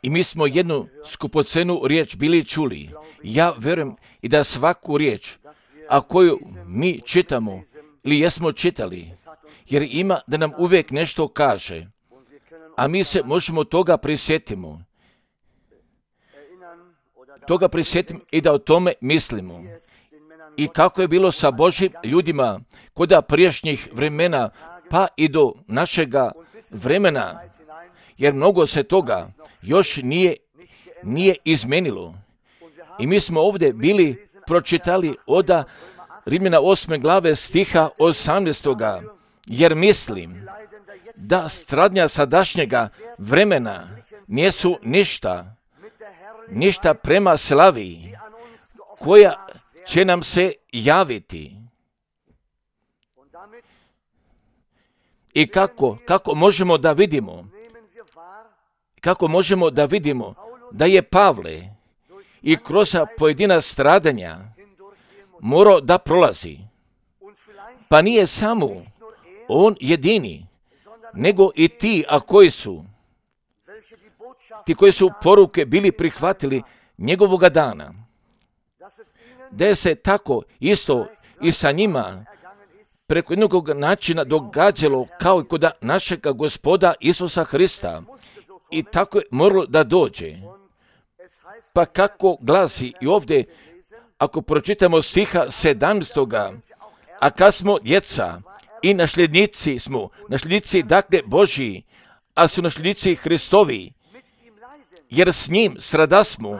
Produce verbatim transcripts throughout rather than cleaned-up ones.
I mi smo jednu skupocenu riječ bili čuli. Ja vjerujem i da svaku riječ, a koju mi čitamo ili jesmo čitali, jer ima da nam uvijek nešto kaže, a mi se možemo toga prisjetimo. Toga prisjetimo i da o tome mislimo. I kako je bilo sa Božjim ljudima kod prijašnjih vremena, pa i do našega vremena, jer mnogo se toga još nije, nije izmenilo. I mi smo ovdje bili pročitali od Rimljana osme glave stiha osamnaestoga, jer mislim da stradnja sadašnjega vremena nisu ništa, ništa prema slavi koja će nam se javiti. I kako, kako možemo da vidimo, kako možemo da vidimo da je Pavle i kroz pojedina stradanja morao da prolazi. Pa nije samo on jedini, nego i ti, a koji su, ti koji su poruke bili prihvatili njegovoga dana. Da je se tako isto i sa njima preko jednog načina događalo kao i kod našega Gospoda Isusa Hrista. I tako je moralo da dođe. Pa kako glasi i ovdje, ako pročitamo stiha sedamnaestoga, a kad smo djeca i nasljednici smo, nasljednici dakle Božji, a su nasljednici Hristovi, jer s njim stradasmo,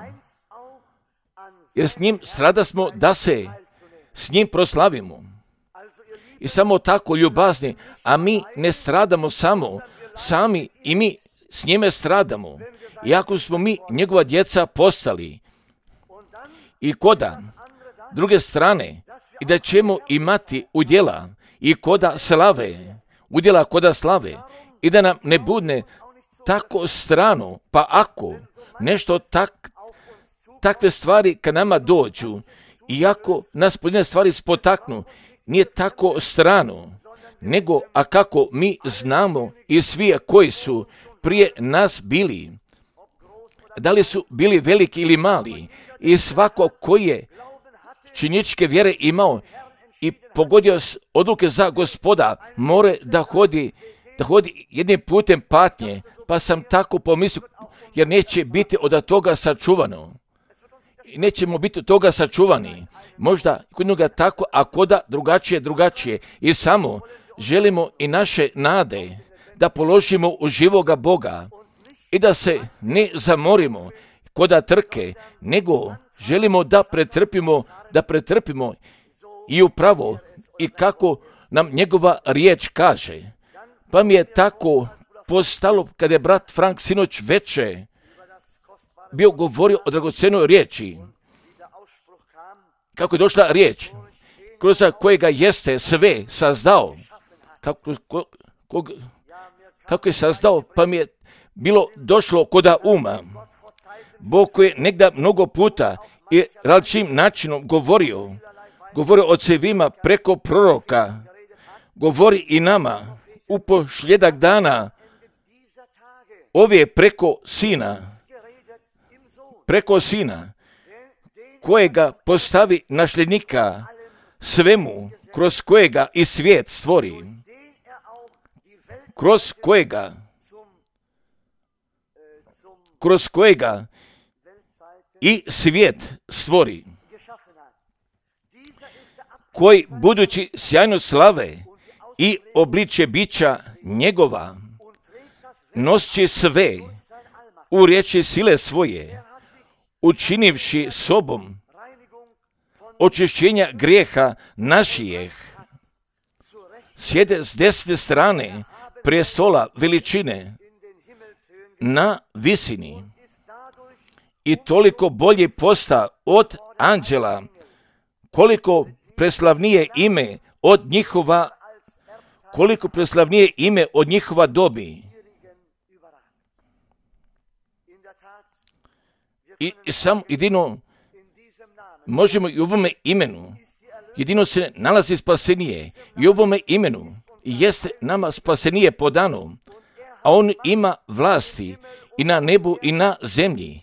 jer s njim stradasmo da se s njim proslavimo. I samo tako ljubazni, a mi ne stradamo samo, sami i mi s njime stradamo. Iako smo mi njegova djeca postali. I koda druge strane, i da ćemo imati udjela i koda slave, udjela koda slave, i da nam ne bude tako strano, pa ako nešto tak, takve stvari kad nama dođu, iako nas pojedine stvari spotaknu, nije tako strano, nego a kako mi znamo i svi koji su prije nas bili, da li su bili veliki ili mali, i svako koji je činjeničke vjere imao i pogodio odluke za Gospoda, more da hodi, da hodi jednim putem patnje, pa sam tako pomislio, jer neće biti od toga sačuvano. I nećemo biti od toga sačuvani. Možda kod njega tako, a koda drugačije, drugačije. I samo želimo i naše nade da položimo u živoga Boga i da se ne zamorimo koda trke, nego želimo da pretrpimo, da pretrpimo i upravo i kako nam njegova riječ kaže. Pa mi je tako postalo kada je brat Frank sinoć veče bio govorio o dragocenoj riječi. Kako je došla riječ, kroz kojega jeste sve sazdao. Kako, ko, kog, kako je sazdao, pa mi je bilo došlo koda uma. Bog koji je negdje mnogo puta i različitim načinom govorio, govorio o cevima preko proroka, govori i nama u posljedak dana, ovdje preko sina, preko sina, kojega postavi nasljednika svemu, kroz kojega i svijet stvori, kroz kojega, kroz kojega i svijet stvori, koji budući sjajno slave i obličje bića njegova, nosi sve u riječi sile svoje, učinivši sobom očišćenja grijeha našijeh, sjede s desne strane prestola veličine na visini i toliko bolje posta od anđela, koliko preslavnije ime od njihova, koliko preslavnije ime od njihova dobi. I, i sam jedino možemo i u ovome imenu, jedino se nalazi spasenije i u ovome imenu jeste nama spasenije podano, a on ima vlasti i na nebu i na zemlji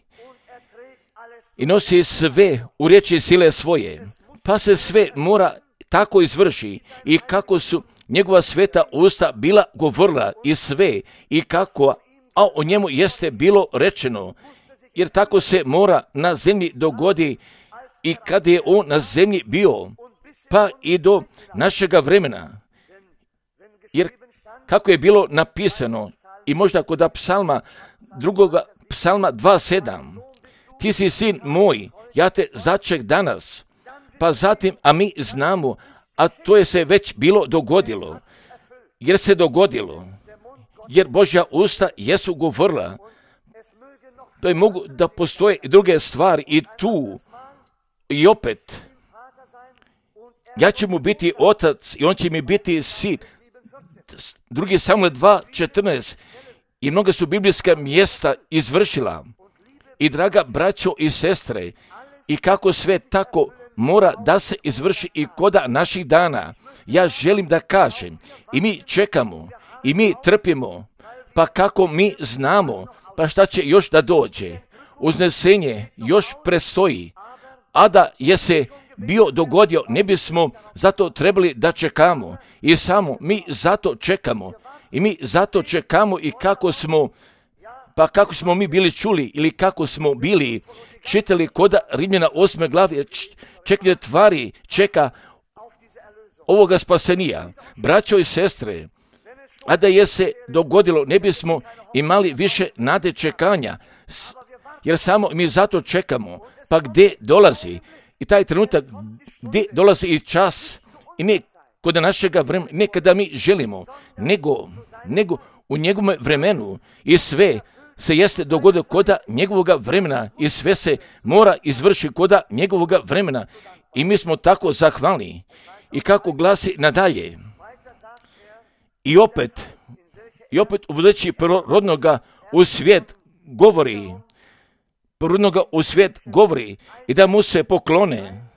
i nosi sve u riječi sile svoje, pa se sve mora tako izvrši i kako su njegova sveta usta bila govorila i sve i kako, a o njemu jeste bilo rečeno, jer tako se mora na zemlji dogodi i kad je on na zemlji bio, pa i do našega vremena. Jer kako je bilo napisano i možda kod psalma drugoga psalma dva sedam, ti si sin moj, ja te začek danas, pa zatim, a mi znamo, a to je se već bilo dogodilo, jer se dogodilo, jer Božja usta jesu govorila, to je mogu da postoje i druge stvari i tu, i opet, ja ću mu biti otac i on će mi biti sin. Drugi Samuel dva četrnaest i mnoga su biblijska mjesta izvršila. I draga braćo i sestre, i kako sve tako mora da se izvrši i koda naših dana, ja želim da kažem, i mi čekamo, i mi trpimo, pa kako mi znamo, pa šta će još da dođe. Uznesenje još prestoji, a da je se bio dogodio, ne bismo zato trebali da čekamo. I samo mi zato čekamo. I mi zato čekamo i kako smo, pa kako smo mi bili čuli ili kako smo bili čitali koda Rimljana osme glavi, čekanje tvari čeka ovoga spasenija. Braćo i sestre, a da je se dogodilo, ne bismo imali više nade čekanja, jer samo mi zato čekamo. Pa gdje dolazi i taj trenutak, gdje dolazi i čas, i ne kod našega vremena, ne kada mi želimo, nego, nego u njegovom vremenu i sve se jeste dogodilo koda njegovoga vremena i sve se mora izvršiti koda njegovoga vremena i mi smo tako zahvalni. I kako glasi nadalje, i opet, i opet uvodeći prvorodnoga u svijet govori, prvorodnoga u svijet govori i da mu se poklone,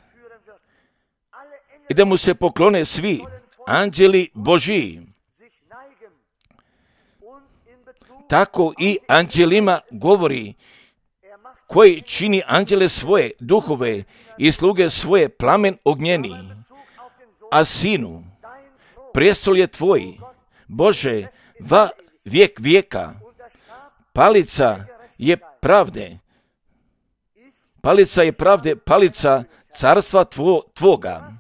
i da mu se poklone svi anđeli Božji. Tako i anđelima govori, koji čini anđele svoje duhove i sluge svoje plamen ognjeni. A sinu, prijestol je tvoj, Bože, va vijek vijeka. Palica je pravde, palica je pravde, palica carstva tvo, tvoga.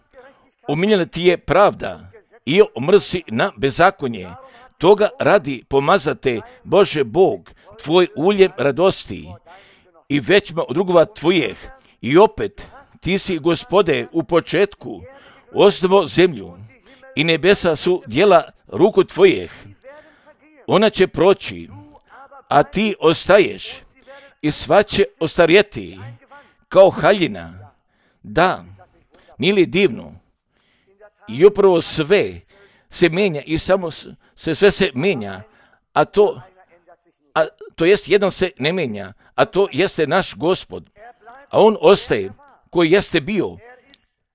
Omiljena ti je pravda i omrsi na bezakonje. Toga radi pomazate, Bože Bog, tvoj uljem radosti i većma od drugova tvojih. I opet, ti si, Gospode, u početku osnovo zemlju i nebesa su djela ruku tvojih. Ona će proći, a ti ostaješ i sva će ostarjeti kao haljina. Da, nije li divno? I upravo sve se mijenja i samo se sve se mijenja, a to, a to jest jedan se ne mijenja, a to jeste naš Gospod. A on ostaje koji jeste bio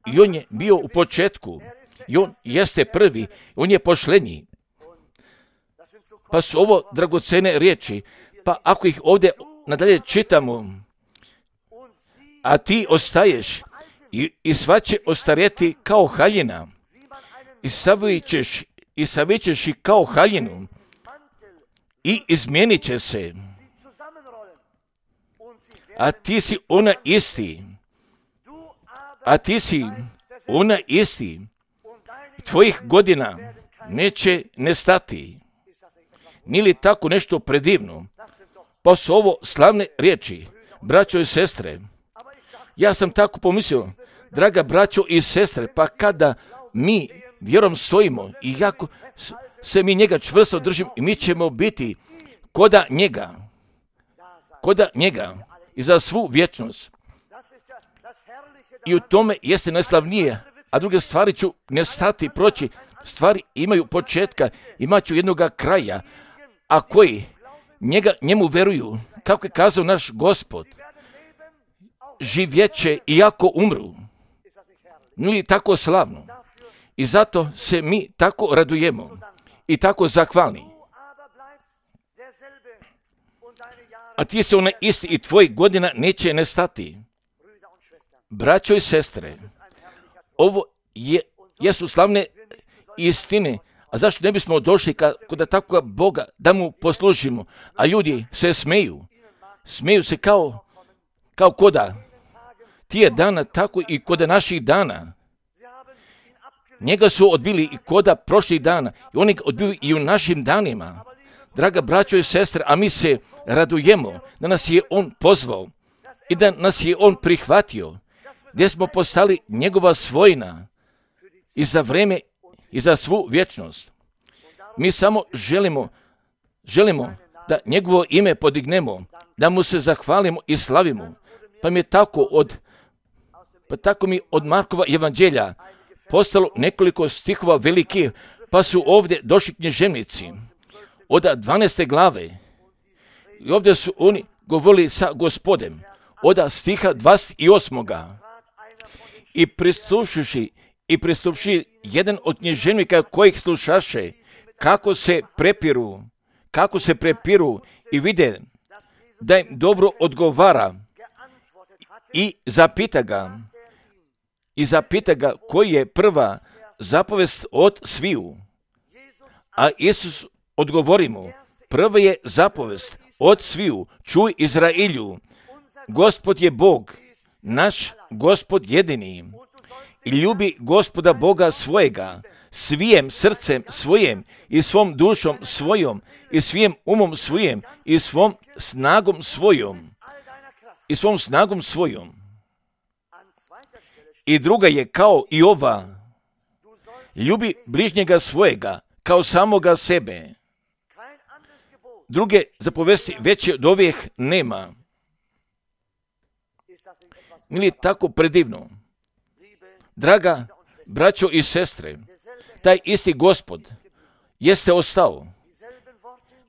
i on je bio u početku i on jeste prvi, on je pošlenji. Pa su ovo dragocene riječi, pa ako ih ovdje nadalje čitamo, a ti ostaješ i, i sva će ostarjeti kao haljina i savićeš i savićeš i kao haljinu i izmijenit će se, a ti si ona isti, a ti si ona isti, tvojih godina neće nestati. Nije li tako nešto predivno? Pa su ovo slavne riječi, braćo i sestre. Ja sam tako pomislio, draga braćo i sestre, pa kada mi vjerom stojimo i jako se mi njega čvrsto držimo i mi ćemo biti koda njega, koda njega i za svu vječnost. I u tome jeste najslavnije, a druge stvari ću nestati, proći. Stvari imaju početka, imat ću jednoga kraja, a koji njega, njemu veruju, kako je kazao naš Gospod, živjeće iako umru. Nije li tako slavno? I zato se mi tako radujemo i tako zahvalni. a ti si onaj isti i tvojih godina neće nestati. Braćo i sestre, ovo je, jesu slavne istine. A zašto ne bismo došli kod takvoga Boga da mu poslužimo? A ljudi se smeju. Smeju se kao, kao koda. Tije dana, tako i koda naših dana. Njega su odbili i koda prošlih dana. I oni ga odbili i u našim danima. Draga braćo i sestre, a mi se radujemo da nas je on pozvao i da nas je on prihvatio, gdje smo postali njegova svojina i za vreme i za svu vječnost. Mi samo želimo, želimo da njegovo ime podignemo, da mu se zahvalimo i slavimo. Pa mi je tako od, pa tako mi od Markova evanđelja postalo nekoliko stihova velikih, pa su ovdje došli književnici od dvanaeste glave. I ovdje su oni govorili sa Gospodem od stiha dvadeset osmoga. I pristupivši i pristupivši jedan od književnika kojih slušaše, kako se prepiru, kako se prepiru i vide da im dobro odgovara i zapita ga, i zapita ga koji je prva zapovest od sviju. A Isus odgovori mu, prva je zapovest od sviju, čuj Izrailju, Gospod je Bog, naš Gospod jedini, i ljubi Gospoda Boga svojega, svijem srcem svojim i svom dušom svojom i svijem umom svojim i svom snagom svojom i svom snagom svojom. I druga je kao i ova, ljubi bližnjega svojega kao samoga sebe. Druge zapovesti veće od ovih nema. Nije tako predivno? Draga braćo i sestre, taj isti Gospod jeste ostao.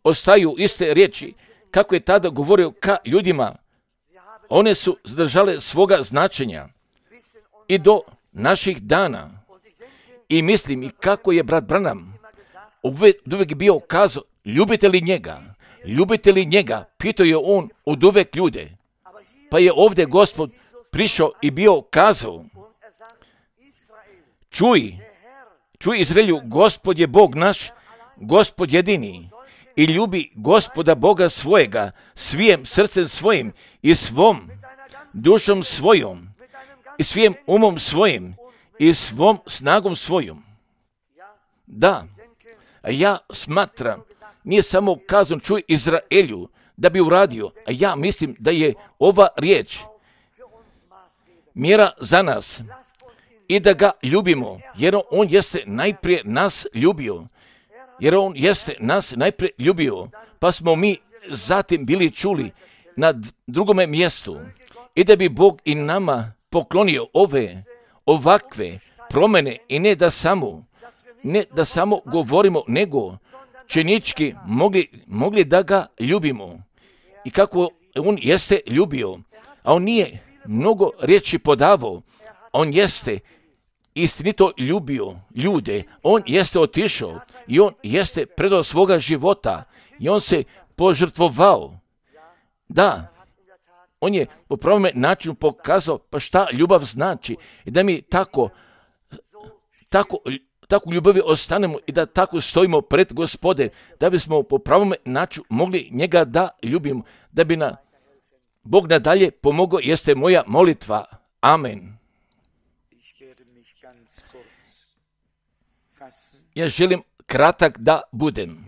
Ostaju iste riječi kako je tada govorio ka ljudima. One su zadržale svoga značenja i do naših dana. I mislim i kako je brat Branham uvijek bio kazao, ljubite li njega? Ljubite li njega? Pitao je on od uvijek ljude. Pa je ovdje Gospod prišao i bio kazao, čuj, čuj Izraelju, Gospod je Bog naš, Gospod jedini, i ljubi Gospoda Boga svojega, svijem srcem svojim i svom dušom svojom, i svijem umom svojim i svom snagom svojom. Da, ja smatram, nije samo kazan čuj Izraelju da bi uradio, a ja mislim da je ova riječ mjera za nas i da ga ljubimo, jer on jeste najprije nas ljubio, jer on jeste nas najprije ljubio, pa smo mi zatim bili čuli na drugome mjestu i da bi Bog i nama poklonio ove, ovakve promjene i ne da samo, ne da samo govorimo, nego činički mogli, mogli da ga ljubimo i kako on jeste ljubio, a on nije mnogo riječi podavao, on jeste istinito ljubio ljude, on jeste otišao i on jeste predao svoga života i on se požrtvovao. Da, on je po pravome načinu pokazao pa šta ljubav znači i da mi tako, tako, tako u ljubavi ostanemo i da tako stojimo pred Gospode, da bismo po pravome načinu mogli njega da ljubimo, da bi na Bog nadalje pomogao, jeste moja molitva. Amen. Ja želim kratak da budem.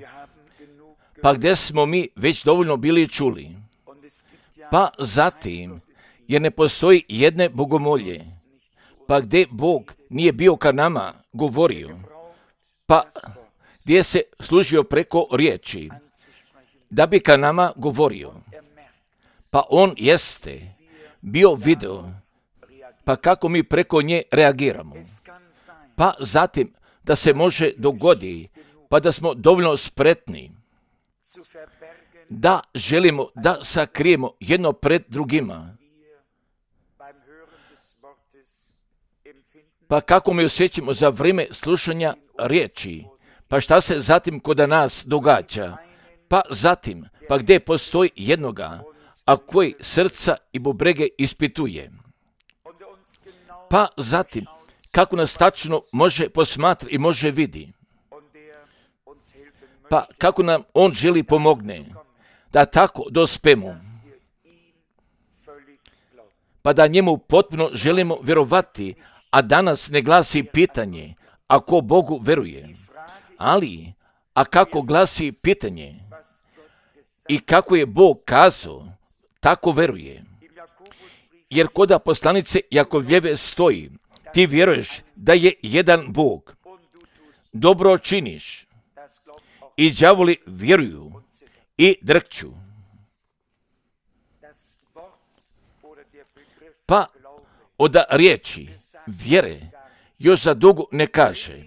Pa gdje smo mi već dovoljno bili čuli. Pa zatim, jer ne postoji jedne bogomolje. Pa gdje Bog nije bio ka nama govorio. Pa gdje se služio preko riječi. Da bi ka nama govorio. Pa on jeste bio video. Pa kako mi preko nje reagiramo. Pa zatim, da se može dogodi, pa da smo dovoljno spretni, da želimo da sakrijemo jedno pred drugima. Pa kako mi osjećamo za vrijeme slušanja riječi, pa šta se zatim kod nas događa, Pa zatim, pa gdje postoji jednoga, a koji srca i bubrege ispituje. Pa zatim, kako nas tačno može posmatrati i može vidi. Pa kako nam on želi pomogne, da tako dospemo. Pa da njemu potpuno želimo vjerovati, a danas ne glasi pitanje, ako Bogu veruje. Ali, a kako glasi pitanje i kako je Bog kazao, tako veruje. Jer koda poslanice Jakovljeve stoji, ti vjeruješ da je jedan Bog, dobro činiš i đavoli vjeruju i drkću. Pa od riječi vjere još za dugo ne kaže.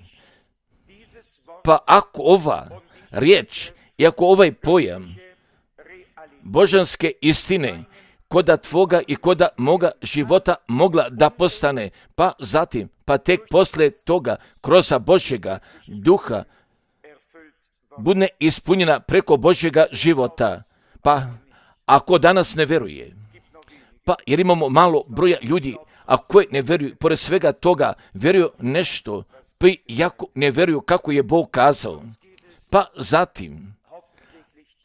Pa ako ova riječ i ako ovaj pojam božanske istine koda tvoga i koda moga života mogla da postane, pa zatim, pa tek posle toga kroz Božjega duha bude ispunjena preko Božjega života. Pa ako danas ne veruje, pa jer imamo malo broja ljudi, a koji ne vjeruju, pored svega toga vjeruju nešto, pa jako ne vjeruju kako je Bog kazao. Pa zatim,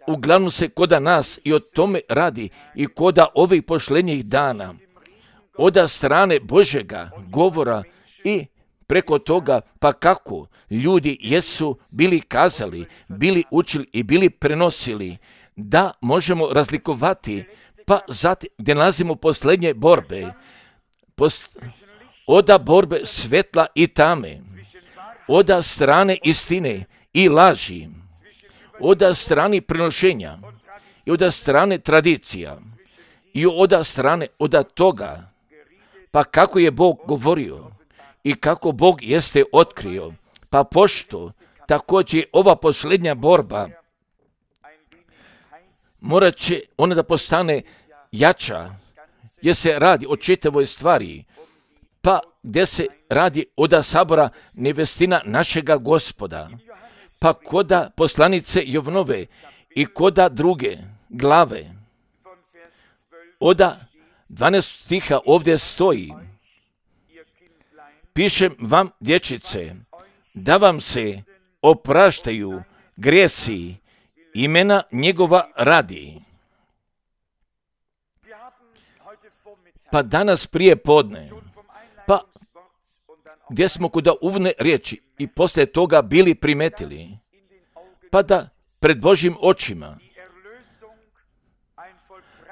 uglavnom se koda nas i o tome radi i koda ovih pošlenjih dana, od strane Božjega govora i preko toga, pa kako ljudi jesu bili kazali, bili učili i bili prenosili, da možemo razlikovati, pa zatim gdje nalazimo posljednje borbe, post, oda borbe svetla i tame, oda strane istine i laži, oda strane prenošenja i oda strane tradicija i oda strane oda toga, pa kako je Bog govorio i kako Bog jeste otkrio, pa pošto također ova posljednja borba morat će ona da postane jača, jer se radi o čitavoj stvari, pa gdje se radi oda sabora nevestina našega Gospoda, pa koda poslanice Jovnove i koda druge glave, oda dvanaest stiha ovdje stoji, pišem vam, dječice, da vam se opraštaju grijesi imena njegova radi. Pa danas prije podne, pa gdje smo kuda uvodne riječi i poslije toga bili primetili, pa da pred Božjim očima,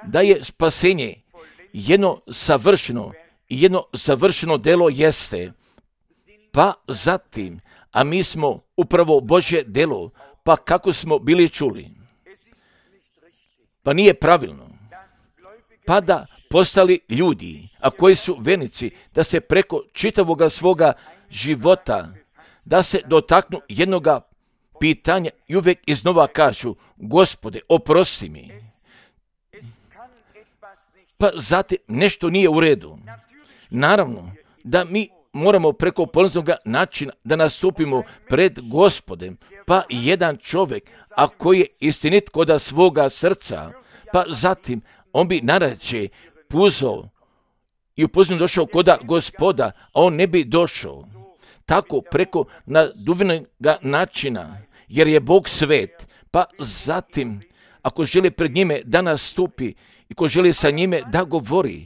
da je spasenje jedno savršeno i jedno savršeno delo jeste, pa zatim, a mi smo upravo Božje delo, pa kako smo bili čuli, pa nije pravilno, pa da postali ljudi, a koji su vjernici, da se preko čitavoga svoga života, da se dotaknu jednoga pitanja i uvijek iznova kažu, Gospode, oprosti mi. Pa zatim nešto nije u redu. Naravno da mi moramo preko polaznog načina da nastupimo pred Gospodem, pa jedan čovjek, a koji je istinit koda svoga srca, pa zatim on bi narače puzao i upoznao došao koda Gospoda, a on ne bi došao. Tako preko naduvnog načina, jer je Bog svet, pa zatim ako želi pred njime da nastupi i ko želi sa njime da govori,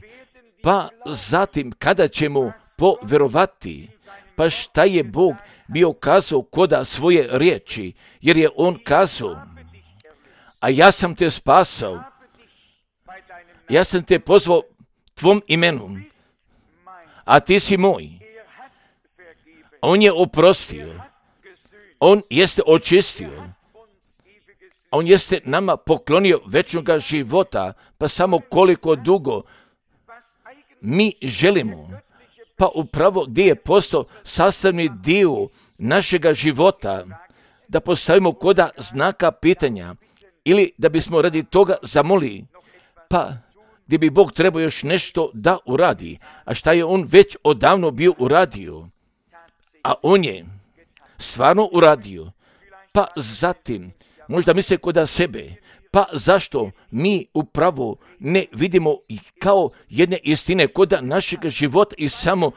pa zatim kada ćemo povjerovati, pa šta je Bog bio kazao koda svoje riječi, jer je on kazao, a ja sam te spasao, ja sam te pozvao tvom imenu, a ti si moj. On je oprostio, on jeste očistio, on jeste nama poklonio večnoga života, pa samo koliko dugo mi želimo, pa upravo gdje je postao sastavni dio našega života, da postavimo koda znaka pitanja ili da bismo radi toga zamolili, pa gdje bi Bog trebao još nešto da uradi, a šta je on već odavno bio uradio, a on je stvarno uradio, pa zatim možda misle kod sebe, pa zašto mi upravo ne vidimo kao jedne istine kod našeg života i samo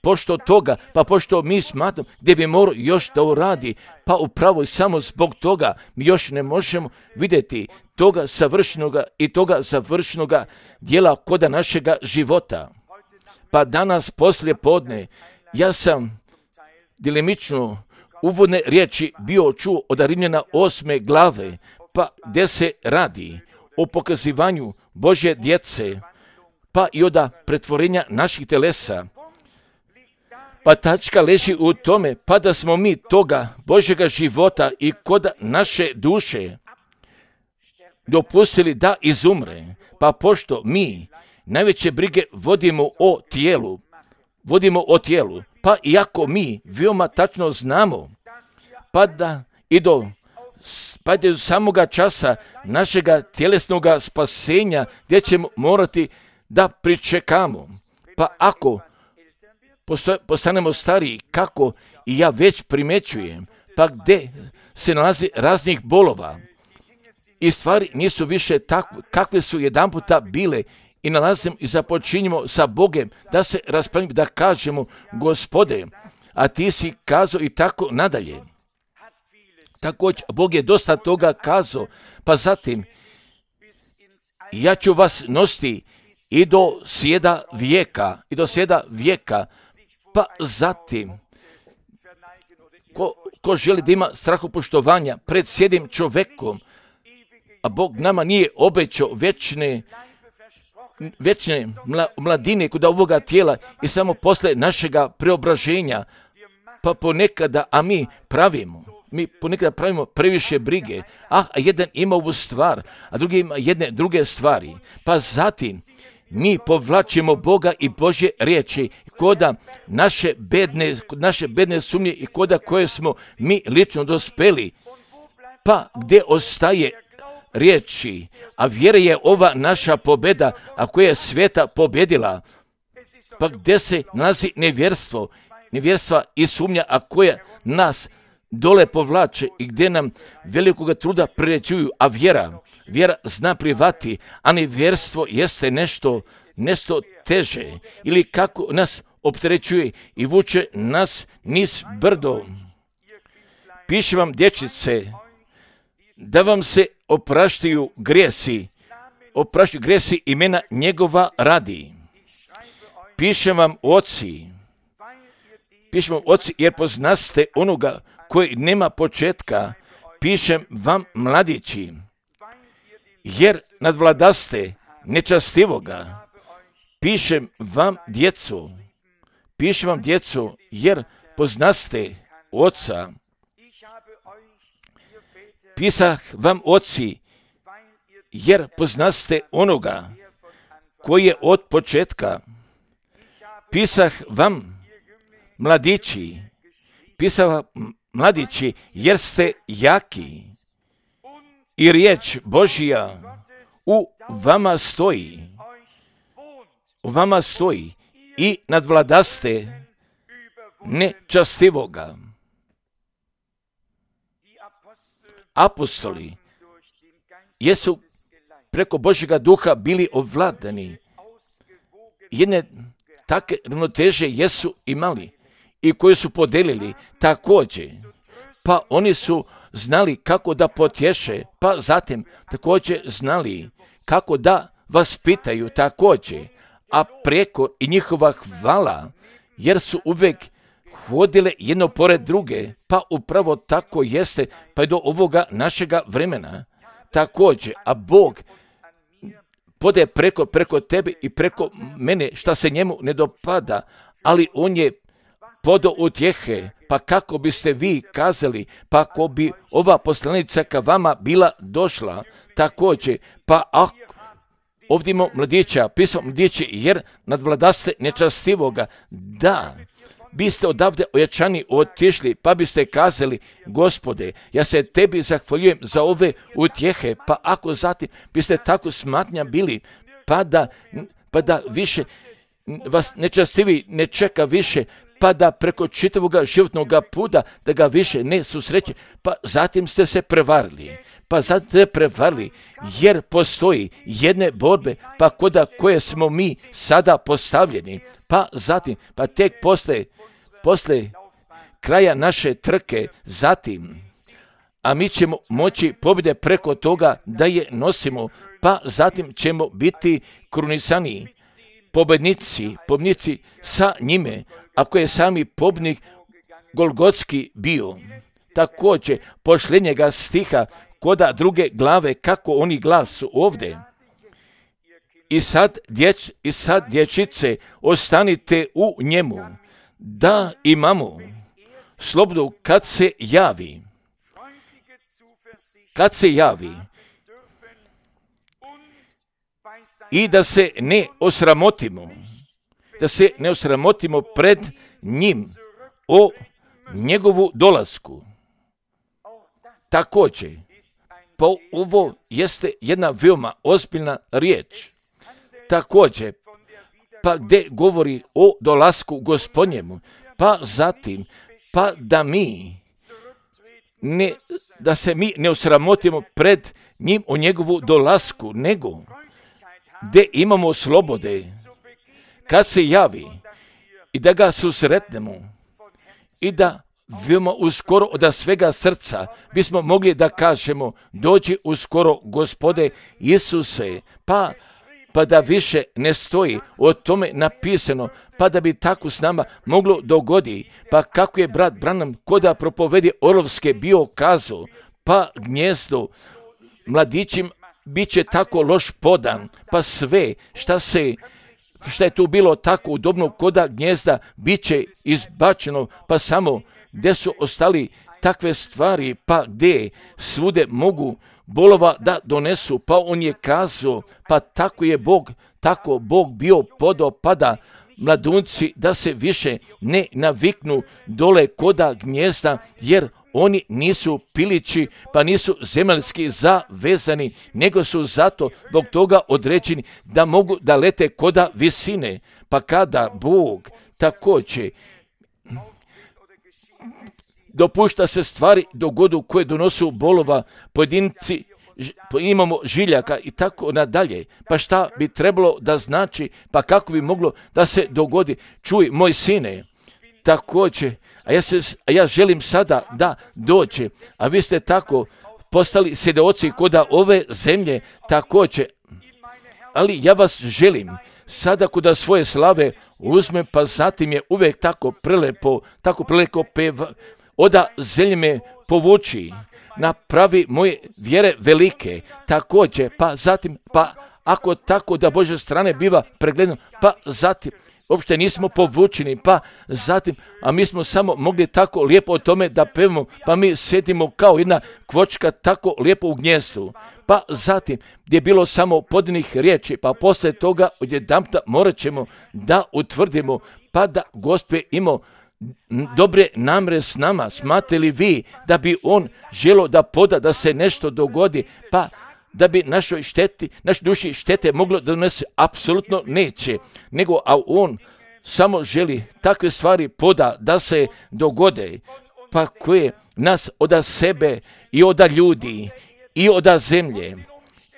pošto toga, pa pošto mi smatramo gdje bi morao još da uradi, pa upravo i samo zbog toga mi još ne možemo vidjeti toga savršenoga i toga završenoga djela kod našega života. Pa danas poslije podne ja sam dilemično uvodne riječi bio čuo od Rimljana osme glave, pa gdje se radi o pokazivanju Božje djece, pa i od pretvorenja naših telesa. Pa tačka leži u tome, pa da smo mi toga Božjega života i kod naše duše dopustili da izumre, pa pošto mi najveće brige vodimo o tijelu, vodimo o tijelu, pa iako mi veoma tačno znamo, pa da i do, pa do samoga časa našega tjelesnog spasenja gdje ćemo morati da pričekamo, pa ako postanemo stariji, kako i ja već primećujem, pa gdje se nalazi raznih bolova i stvari nisu više takve kakve su jedan puta bile i nalazimo i započinjemo sa Bogem da se raspravimo, da kažemo Gospode, a ti si kazao i tako nadalje. Također, Bog je dosta toga kazao, pa zatim ja ću vas nositi i do sjeda vijeka, i do sjeda vijeka, pa zatim, ko, ko želi da ima strahopoštovanja pred sjedim čovjekom, a Bog nama nije obećao večne, večne mladine kod ovoga tijela i samo posle našega preobraženja, pa ponekada, a mi pravimo, mi ponekada pravimo previše brige, ah, a jedan ima ovu stvar, a drugi ima jedne druge stvari, pa zatim, mi povlačimo Boga i Božje riječi koda naše bedne, naše bedne sumnje i koda koje smo mi lično dospeli. Pa gdje ostaje riječi, a vjera je ova naša pobjeda, a koja je svijeta pobjedila. Pa gdje se nalazi nevjerstvo, nevjerstva i sumnja, a koja nas dole povlače i gdje nam velikoga truda priređuju, a vjera, vjera zna privati, a nevjerstvo jeste nešto, nešto teže, ili kako nas opterećuje i vuče nas niz brdo. Piše vam, dječice, da vam se opraštaju grijesi, opraštaju grijesi imena njegova radi. Piše vam, oci, piše vam, oci, jer poznaste onoga koji nema početka. Pišem vam, mladići, jer nadvladaste nečastivoga. Pišem vam, djeco, pišem vam, djeco, jer poznaste oca. Pisah vam, oci, jer poznaste onoga koji je od početka. Pisah vam, mladići, pisah vam, mladići, jer ste jaki i riječ Božja u vama stoji, u vama stoji i nadvladaste nečastivoga. Apostoli jesu preko Božjega duha bili ovladani. Jedne takve ravnoteže jesu imali i koje su podelili također. Pa oni su znali kako da potješe, pa zatim također znali kako da vas pitaju također, a preko i njihova hvala, jer su uvijek hodile jedno pored druge, pa upravo tako jeste, pa je do ovoga našega vremena također, a Bog pode preko, preko tebe i preko mene šta se njemu ne dopada, ali on je podo utjehe, pa kako biste vi kazali, pa ako bi ova poslanica ka vama bila došla također, pa ako ovdje imamo mladića, pisao mladići, jer nadvladaste nečastivoga, da, biste odavde ojačani otišli, pa biste kazali, Gospode, ja se tebi zahvaljujem za ove utjehe, pa ako zatim biste tako smatnja bili, pa da, pa da više vas nečastivi ne čeka više, pa da preko čitavog životnog puta da ga više ne susreće, pa zatim ste se prevarili, pa zatim ste prevarili, jer postoji jedne borbe, pa koda koje smo mi sada postavljeni, pa zatim, pa tek posle, posle kraja naše trke, zatim, a mi ćemo moći pobjede preko toga da je nosimo, pa zatim ćemo biti krunisani, pobednici, pobednici sa njime, ako je sami pobjednik Golgotski bio. Također, posljednjega stiha koda druge glave, kako oni glasu ovdje. I sad, djeć, i sad dječice, ostanite u njemu, da imamo slobodu kad se javi. Kad se javi. I da se ne osramotimo, da se ne osramotimo pred njim o njegovu dolasku. Također, pa ovo jeste jedna veoma ozbiljna riječ. Također, pa gdje govori o dolasku Gospodnjemu, pa zatim, pa da mi, ne, da se mi ne osramotimo pred njim o njegovu dolasku, nego gdje imamo slobode, kad se javi i da ga susretnemo i da veoma uskoro od svega srca bismo mogli da kažemo, dođi uskoro Gospode Isuse, pa, pa da više ne stoji o tome napisano, pa da bi tako s nama moglo dogodi, pa kako je brat Branham koda propovedi Orlovske bio kazao, pa gnjezdo mladićim bit će tako loš podan, pa sve šta se šta je tu bilo tako udobno koda gnjezda bit će izbačeno, pa samo gdje su ostali takve stvari, pa gdje svude mogu bolova da donesu, pa on je kazao, pa tako je Bog, tako Bog bio podopada mladunci da se više ne naviknu dole koda gnjezda, jer oni nisu pilići, pa nisu zemaljski zavezani, nego su zato zbog toga određeni da mogu da lete koda visine. Pa kada Bog također dopušta se stvari dogodu koje donosu bolova, pojedinci, imamo žiljaka i tako nadalje. Pa šta bi trebalo da znači, pa kako bi moglo da se dogodi? Čuj, moj sine, također, a ja, se, a ja želim sada da dođe, a vi ste tako postali svjedoci koda ove zemlje također, ali ja vas želim sada koda svoje slave uzmem, pa zatim je uvijek tako prelepo, tako prelepo peva, oda zemlje me povuči, napravi moje vjere velike, također, pa zatim, pa ako tako da Božje strane biva pregledano, pa zatim, uopšte nismo povučeni, pa zatim, a mi smo samo mogli tako lijepo o tome da pevamo, pa mi sjedimo kao jedna kvočka tako lijepo u gnjezdu. Pa zatim, gdje je bilo samo podinih riječi, pa poslije toga odjedanputa morat ćemo da utvrdimo, pa da Gospod imao dobre namre s nama. Smatrate li vi da bi on želio da poda da se nešto dogodi, pa da bi našoj šteti, našoj duši štete moglo da donese? Apsolutno neće, nego a on samo želi takve stvari poda da se dogode, pa koje nas od sebe i od ljudi i od zemlje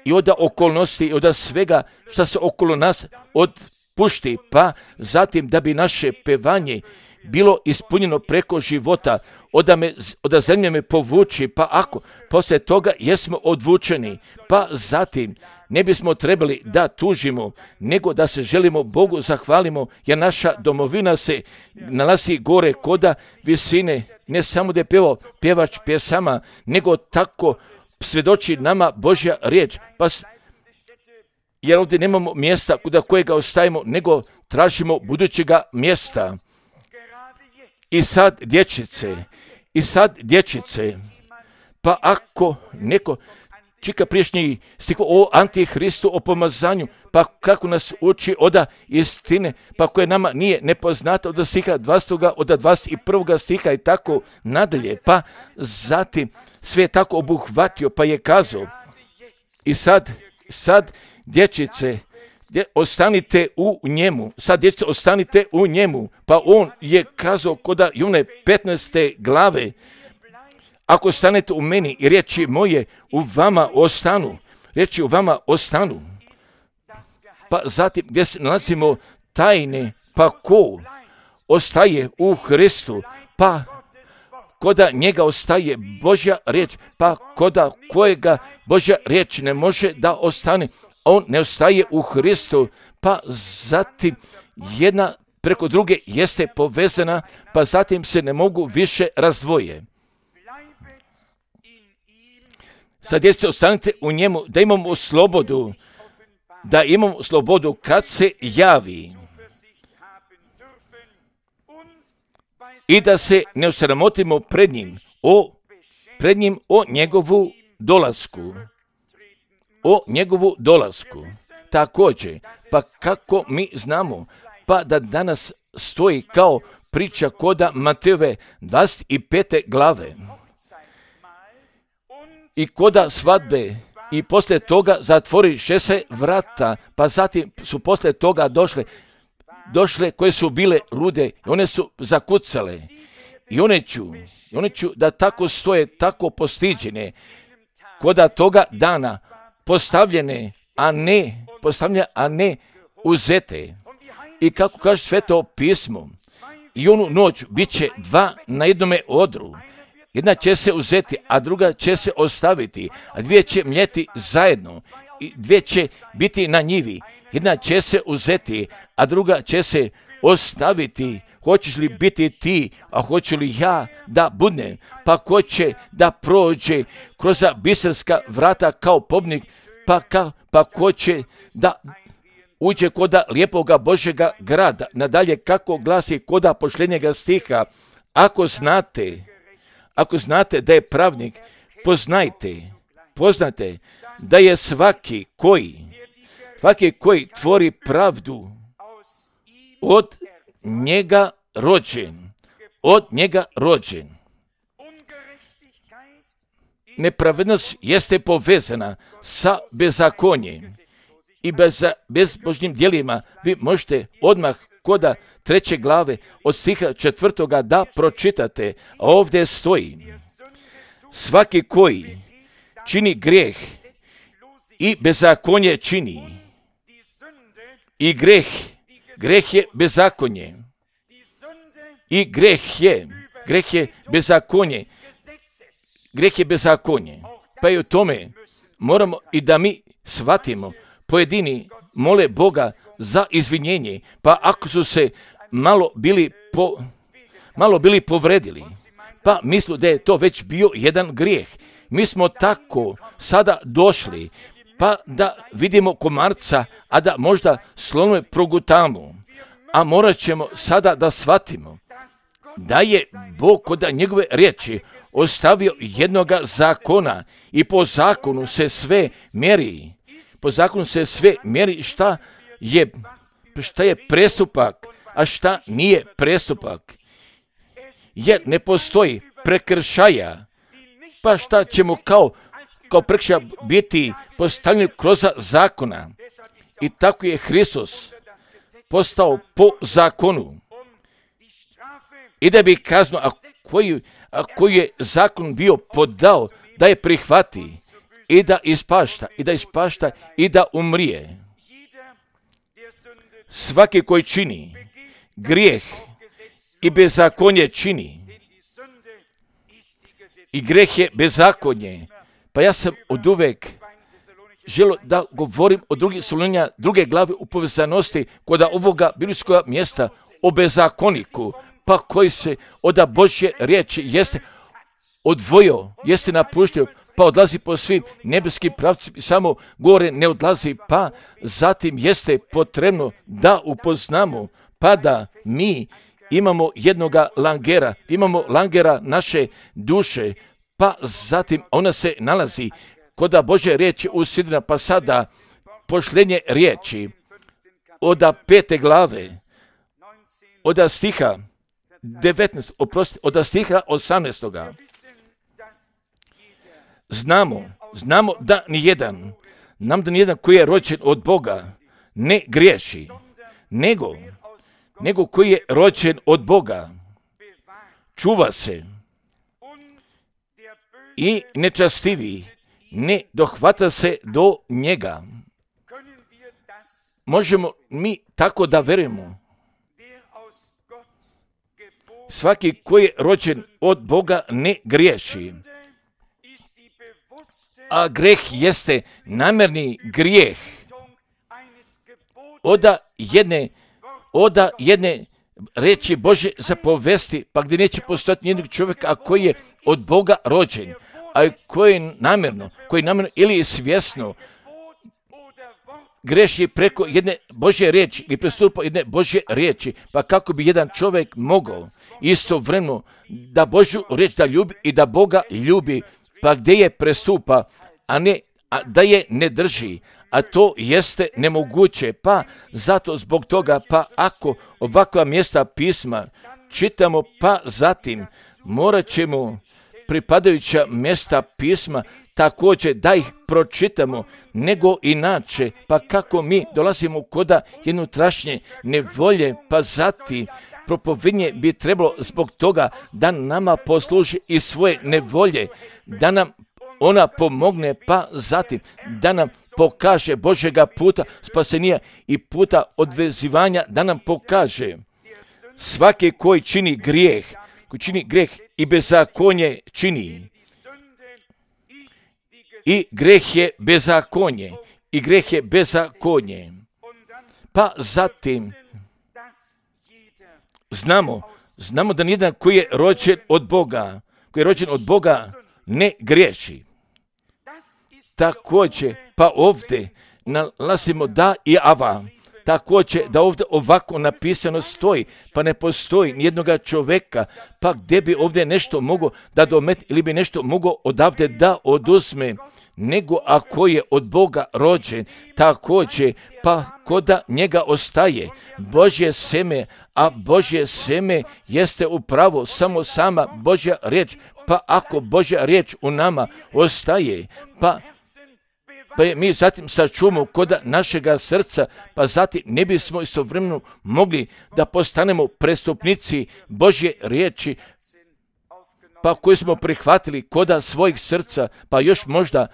i od okolnosti i od svega što se okolo nas odpušti, pa zatim da bi naše pevanje bilo ispunjeno preko života, oda, me, oda zemlje me povuči, pa ako poslije toga jesmo odvučeni, pa zatim ne bismo trebali da tužimo, nego da se želimo Bogu zahvalimo, jer naša domovina se nalazi gore koda visine, ne samo da je pjevao pjevač pjesama, nego tako svjedoči nama Božja riječ, pa jer ovdje nemamo mjesta kuda kojega ostavimo, nego tražimo budućega mjesta. I sad dječice, i sad dječice, pa ako neko čika priješnji stih o Antihristu, o pomazanju, pa kako nas uči oda istine, pa koje nama nije nepoznata od stiha dvadesetog, od dvadeset prvog stiha i tako nadalje, pa zatim sve je tako obuhvatio, pa je kazao, i sad, sad dječice, gdje ostanite u njemu. Sad djeca, ostanite u njemu. Pa on je kazao koda i one petnaeste glave, ako ostanete u meni i riječi moje u vama ostanu, riječi u vama ostanu. Pa zatim gdje se nalazimo tajne, pa ko ostaje u Hristu, pa koda njega ostaje Božja riječ, pa koda kojega Božja riječ ne može da ostane, on ne ostaje u Hristu, pa zatim jedna preko druge jeste povezana, pa zatim se ne mogu više razdvoje. Sad jeste ostanite u njemu, da imamo slobodu, da imamo slobodu kad se javi i da se ne osramotimo pred njim, o, pred njim o njegovu dolasku, o njegovu dolasku. Također, pa kako mi znamo, pa da danas stoji kao priča koda Matejove dvadeset pete glave i koda svadbe i poslije toga zatvoriše se vrata, pa zatim su poslije toga došle, došle koje su bile lude i one su zakucale i one ću, i one ću da tako stoje, tako postiđene, koda toga dana postavljene, a ne postavljene, a ne uzete. I kako kaže Sveto pismo, i onu noć bit će dva na jednome odru. Jedna će se uzeti, a druga će se ostaviti, a dvije će mljeti zajedno, i dvije će biti na njivi. Jedna će se uzeti, a druga će se ostaviti. Hoćeš li biti ti, a hoću li ja da budem? Pa ko će da prođe kroz biserska vrata kao pobnik, pa, ka, pa ko će da uđe koda lijepoga Božjega grada. Nadalje, kako glasi koda pošljenjega stiha, ako znate, ako znate da je pravnik, poznajte, poznate da je svaki koji, svaki koji tvori pravdu od njega rođen, od njega rođen. Nepravednost jeste povezana sa bezakonjem i bez, bezbožnim djelima. Vi možete odmah koda treće glave od stiha četvrtoga da pročitate, a ovdje stoji: svaki koji čini grijeh i bezakonje čini, i greh, greh je bezakonje, i greh je, greh je bezakonje, greh je bezakonje. Pa i u tome moramo i da mi shvatimo, pojedini mole Boga za izvinjenje, pa ako su se malo bili, po, malo bili povredili, pa mislu da je to već bio jedan grijeh. Mi smo tako sada došli, pa da vidimo komarca, a da možda slonove progutamo, a morat ćemo sada da shvatimo da je Bog kod njegove riječi ostavio jednoga zakona i po zakonu se sve mjeri. Po zakonu se sve mjeri šta je, šta je prestupak, a šta nije prestupak. Jer ne postoji prekršaja, pa šta ćemo kao, kao prekršaja biti postavljeni kroz zakona. I tako je Hristos postao po zakonu. I da bi kaznu, a koju, a koju je zakon bio podao, da je prihvati i da ispašta, i da ispašta, i da umrije. Svaki koji čini grijeh i bezakonje čini, i greh je bezakonje. Pa ja sam od uvek želio da govorim o drugih Solunjana, druge glave u povezanosti kod ovoga biblijskog mjesta o bezakoniku, pa koji se od Božje riječi jeste odvojio, jeste napuštio, pa odlazi po svim nebeskim pravcima, samo gore ne odlazi, pa zatim jeste potrebno da upoznamo, pa da mi imamo jednoga langera, imamo langera naše duše, pa zatim ona se nalazi kod Božje riječi u sidrina, pa sada pošljenje riječi od pete glave, od stiha devetnaest, oprosti, od stiha osamnaestoga. Znamo, znamo da nijedan, nam da nijedan koji je rođen od Boga ne griješi, nego, nego koji je rođen od Boga, čuva se i nečastivi ne dohvata se do njega. Možemo mi tako da verujemo. Svaki koji je rođen od Boga ne griješi. A greh jeste namjerni grijeh. Oda jedne, oda jedne reči Bože zapovesti, pa gdje neće postojati nijednog čovjeka, a koji je od Boga rođen, a koji je namjerno, koji namjerno ili svjesno greši preko jedne Božje riječi ili prestupa jedne Božje riječi, pa kako bi jedan čovjek mogao istovremeno da Božju riječ da ljubi i da Boga ljubi, pa gdje je prestupa, a ne a da je ne drži, a to jeste nemoguće, pa zato zbog toga, pa ako ovakva mjesta pisma čitamo, pa zatim morat ćemo pripadajuća mjesta pisma također da ih pročitamo, nego inače, pa kako mi dolazimo koda jednotrašnje nevolje, pa zatim propovednje bi trebalo zbog toga da nama posluži i svoje nevolje, da nam ona pomogne, pa zatim da nam pokaže Božjega puta spasenija i puta odvezivanja, da nam pokaže svaki koji čini grijeh, koji čini grijeh i bezakonje čini. I greh je bezakonje, i greh je bezakonje. Pa zatim znamo, znamo da nijedan koji je rođen od Boga, koji je rođen od Boga ne griješi. Također, pa ovdje nalazimo da i ava. Također, da ovdje ovako napisano stoji, pa ne postoji nijednoga čovjeka, pa gdje bi ovdje nešto mogao da domet ili bi nešto mogao odavde da oduzme, nego ako je od Boga rođen, također, pa koda njega ostaje Božje seme, a Božje seme jeste upravo samo sama Božja riječ, pa ako Božja riječ u nama ostaje, pa Pa je mi zatim sačuvamo koda našega srca, pa zatim ne bismo istovremeno mogli da postanemo prestupnici Božje riječi, pa koji smo prihvatili koda svojih srca, pa još možda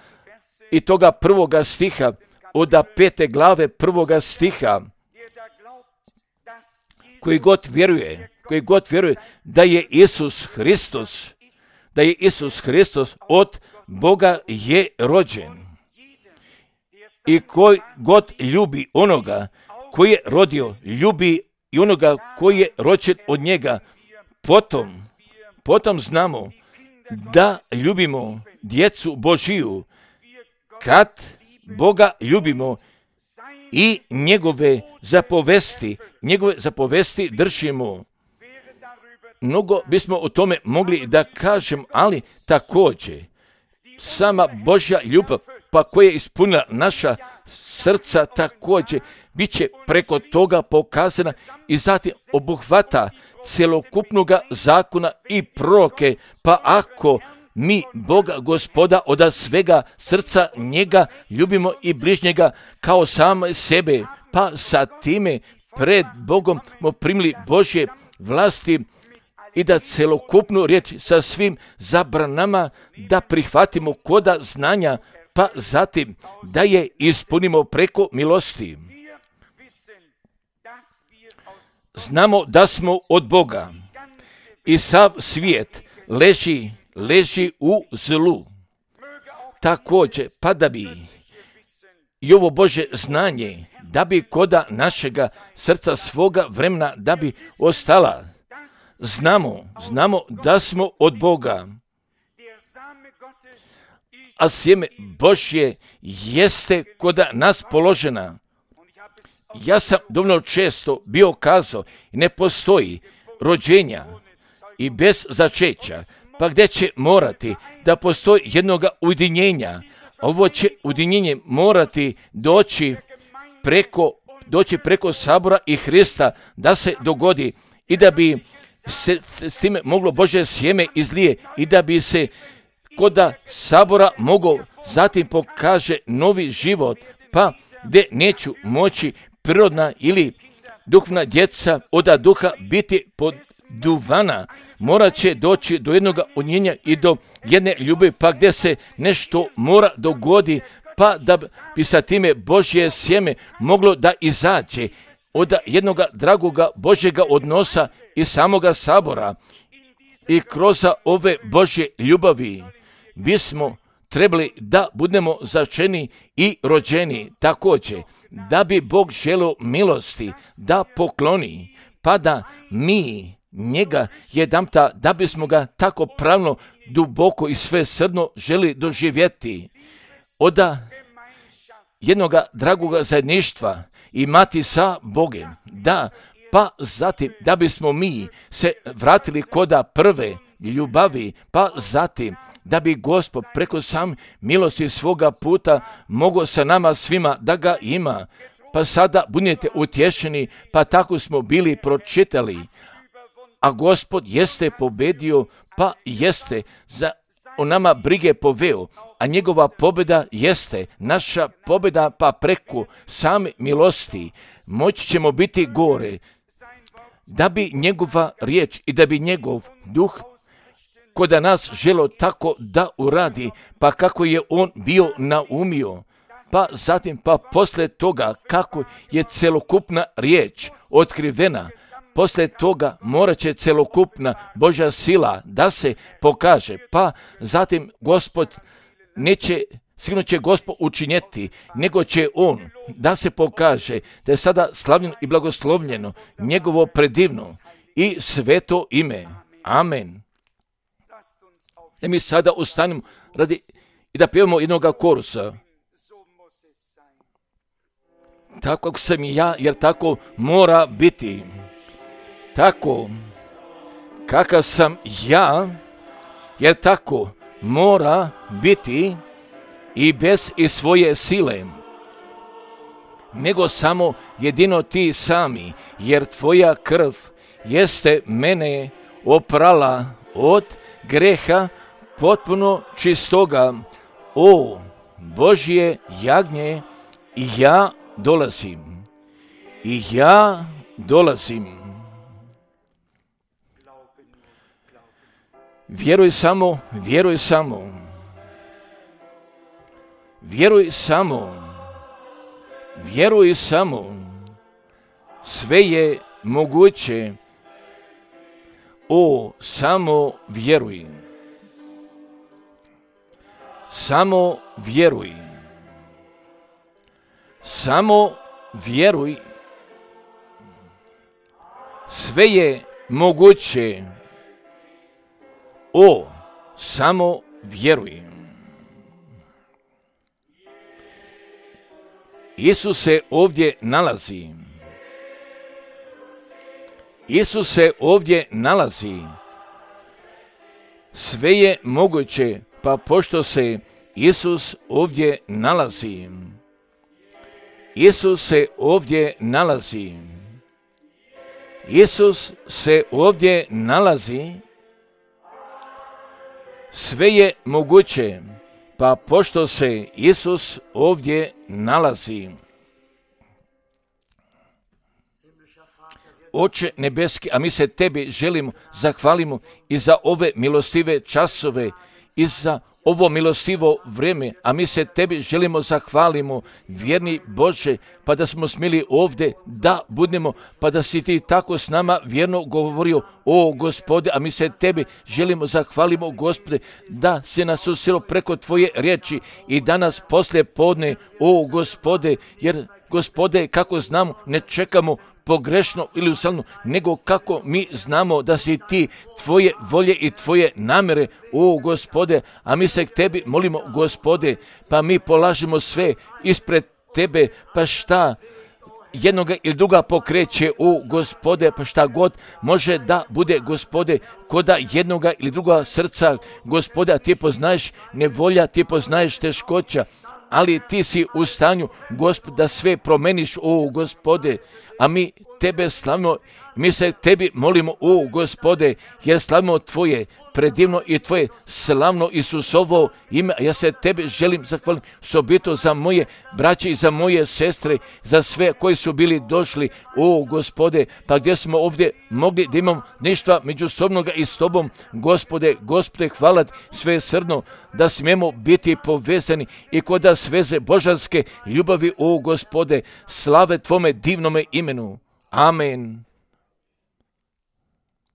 i toga prvoga stiha, od pete glave prvoga stiha, koji god vjeruje, koji god vjeruje da je Isus Hristos, da je Isus Hristos od Boga je rođen. I koji god ljubi onoga koji je rodio, ljubi i onoga koji je rođen od njega. Potom, potom znamo da ljubimo djecu Božiju, kad Boga ljubimo i njegove zapovesti, njegove zapovesti držimo. Mnogo bismo o tome mogli da kažem, ali također sama Božja ljubav, pa koja je ispunila naša srca, također bit će preko toga pokazana i zatim obuhvata cjelokupnoga zakona i proroke, pa ako mi Boga Gospoda od svega srca njega ljubimo i bližnjega kao same sebe, pa sa time pred Bogom smo primili Božje vlasti i da celokupnu riječ sa svim zabranama da prihvatimo koda znanja, pa zatim da je ispunimo preko milosti. Znamo da smo od Boga i sav svijet leži, leži u zlu. Također, pa da bi i ovo Božje znanje, da bi koda našega srca svoga vremena, da bi ostala. Znamo, znamo da smo od Boga, a sjeme Božje jeste koda nas položena. Ja sam dovoljno često bio kazao, ne postoji rođenja i bez začeća, pa gdje će morati da postoji jednoga ujedinjenja. Ovo će ujedinjenje morati doći preko, doći preko sabora i Hrista da se dogodi i da bi se s time moglo Božje sjeme izlije i da bi se koda sabora mogao zatim pokaže novi život, pa gdje neću moći prirodna ili duhovna djeca od duha biti poduvana, morat će doći do jednog unjenja i do jedne ljubavi, pa gdje se nešto mora dogodi, pa da bi sa time Božje sjeme moglo da izađe od jednog dragoga Božjega odnosa i samoga sabora. I kroz ove Božje ljubavi bismo trebali da budemo začeni i rođeni također, da bi Bog želio milosti da pokloni, pa da mi njega jedanputa, da bismo ga tako pravno, duboko i svesrdno želi doživjeti, od jednog dragoga zajedništva imati sa Bogem, da, pa zatim da bismo mi se vratili koda prve ljubavi, pa zatim da bi Gospod preko sam milosti svoga puta mogao sa nama svima da ga ima. Pa sada budete utješeni, pa tako smo bili pročitali. A Gospod jeste pobedio, pa jeste za o nama brige poveo, a njegova pobjeda jeste naša pobjeda, pa preko same milosti moći ćemo biti gore, da bi njegova riječ i da bi njegov duh kod nas želo tako da uradi, pa kako je on bio naumio, pa zatim pa poslije toga kako je celokupna riječ otkrivena, poslije toga morat će celokupna Božja sila da se pokaže, pa zatim Gospod neće, sigurno će Gospod učinjeti, nego će on da se pokaže da je sada slavljeno i blagoslovljeno njegovo predivno i sveto ime. Amen. Da mi sada ustanemo radi i da pjevamo jednoga korusa. Tako kako sam i ja, jer tako mora biti. Tako kakav sam ja, jer tako mora biti i bez i svoje sile, nego samo jedino ti sami, jer tvoja krv jeste mene oprala od greha potpuno čistoga. O Božje jagnje, i ja dolazim, i ja dolazim. Vjeruj samo, vjeruj samo, vjeruj samo, vjeruj samo, sve je moguće. O, samo vjeruj, samo vjeruj, samo vjeruj, sve je moguće. O, samo vjeruj. Isus se ovdje nalazi. Isus se ovdje nalazi. Sve je moguće, pa pošto se Isus ovdje nalazi. Isus se ovdje nalazi. Isus se ovdje nalazi. Sve je moguće, pa pošto se Isus ovdje nalazi. Oče nebeski, a mi se tebi želimo, zahvalimo i za ove milostive časove i za ovo milostivo vrijeme, a mi se tebi želimo zahvalimo, vjerni Bože, pa da smo smjeli ovdje da budemo, pa da si ti tako s nama vjerno govorio, o Gospode, a mi se tebi želimo zahvalimo, Gospode, da si nas usilo preko tvoje riječi i danas poslije podne, o Gospode, jer Gospode, kako znamo, ne čekamo pogrešno ili ustavno, nego kako mi znamo da si ti, tvoje volje i tvoje namjere, o Gospode, a mi se k tebi molimo, Gospode, pa mi polažemo sve ispred tebe, pa šta jednoga ili druga pokreće, o Gospode, pa šta god može da bude, Gospode, koda jednoga ili druga srca, Gospode, a ti poznaješ nevolja, ti poznaješ teškoća, ali ti si u stanju, Gospod, da sve promeniš, o Gospode, a mi tebe slavimo, mi se tebi molimo, o Gospode, jer slavimo tvoje predivno i tvoje slavno Isusovo ime. Ja se tebi želim zahvaliti osobito za moje braće i za moje sestre, za sve koji su bili došli, o Gospode, pa gdje smo ovdje mogli da imamo ništa međusobnoga i s tobom, Gospode, Gospode, hvala sve srdno da smijemo biti povezani i kod sveze božanske ljubavi, o Gospode, slave tvome divnome imenu. Amen.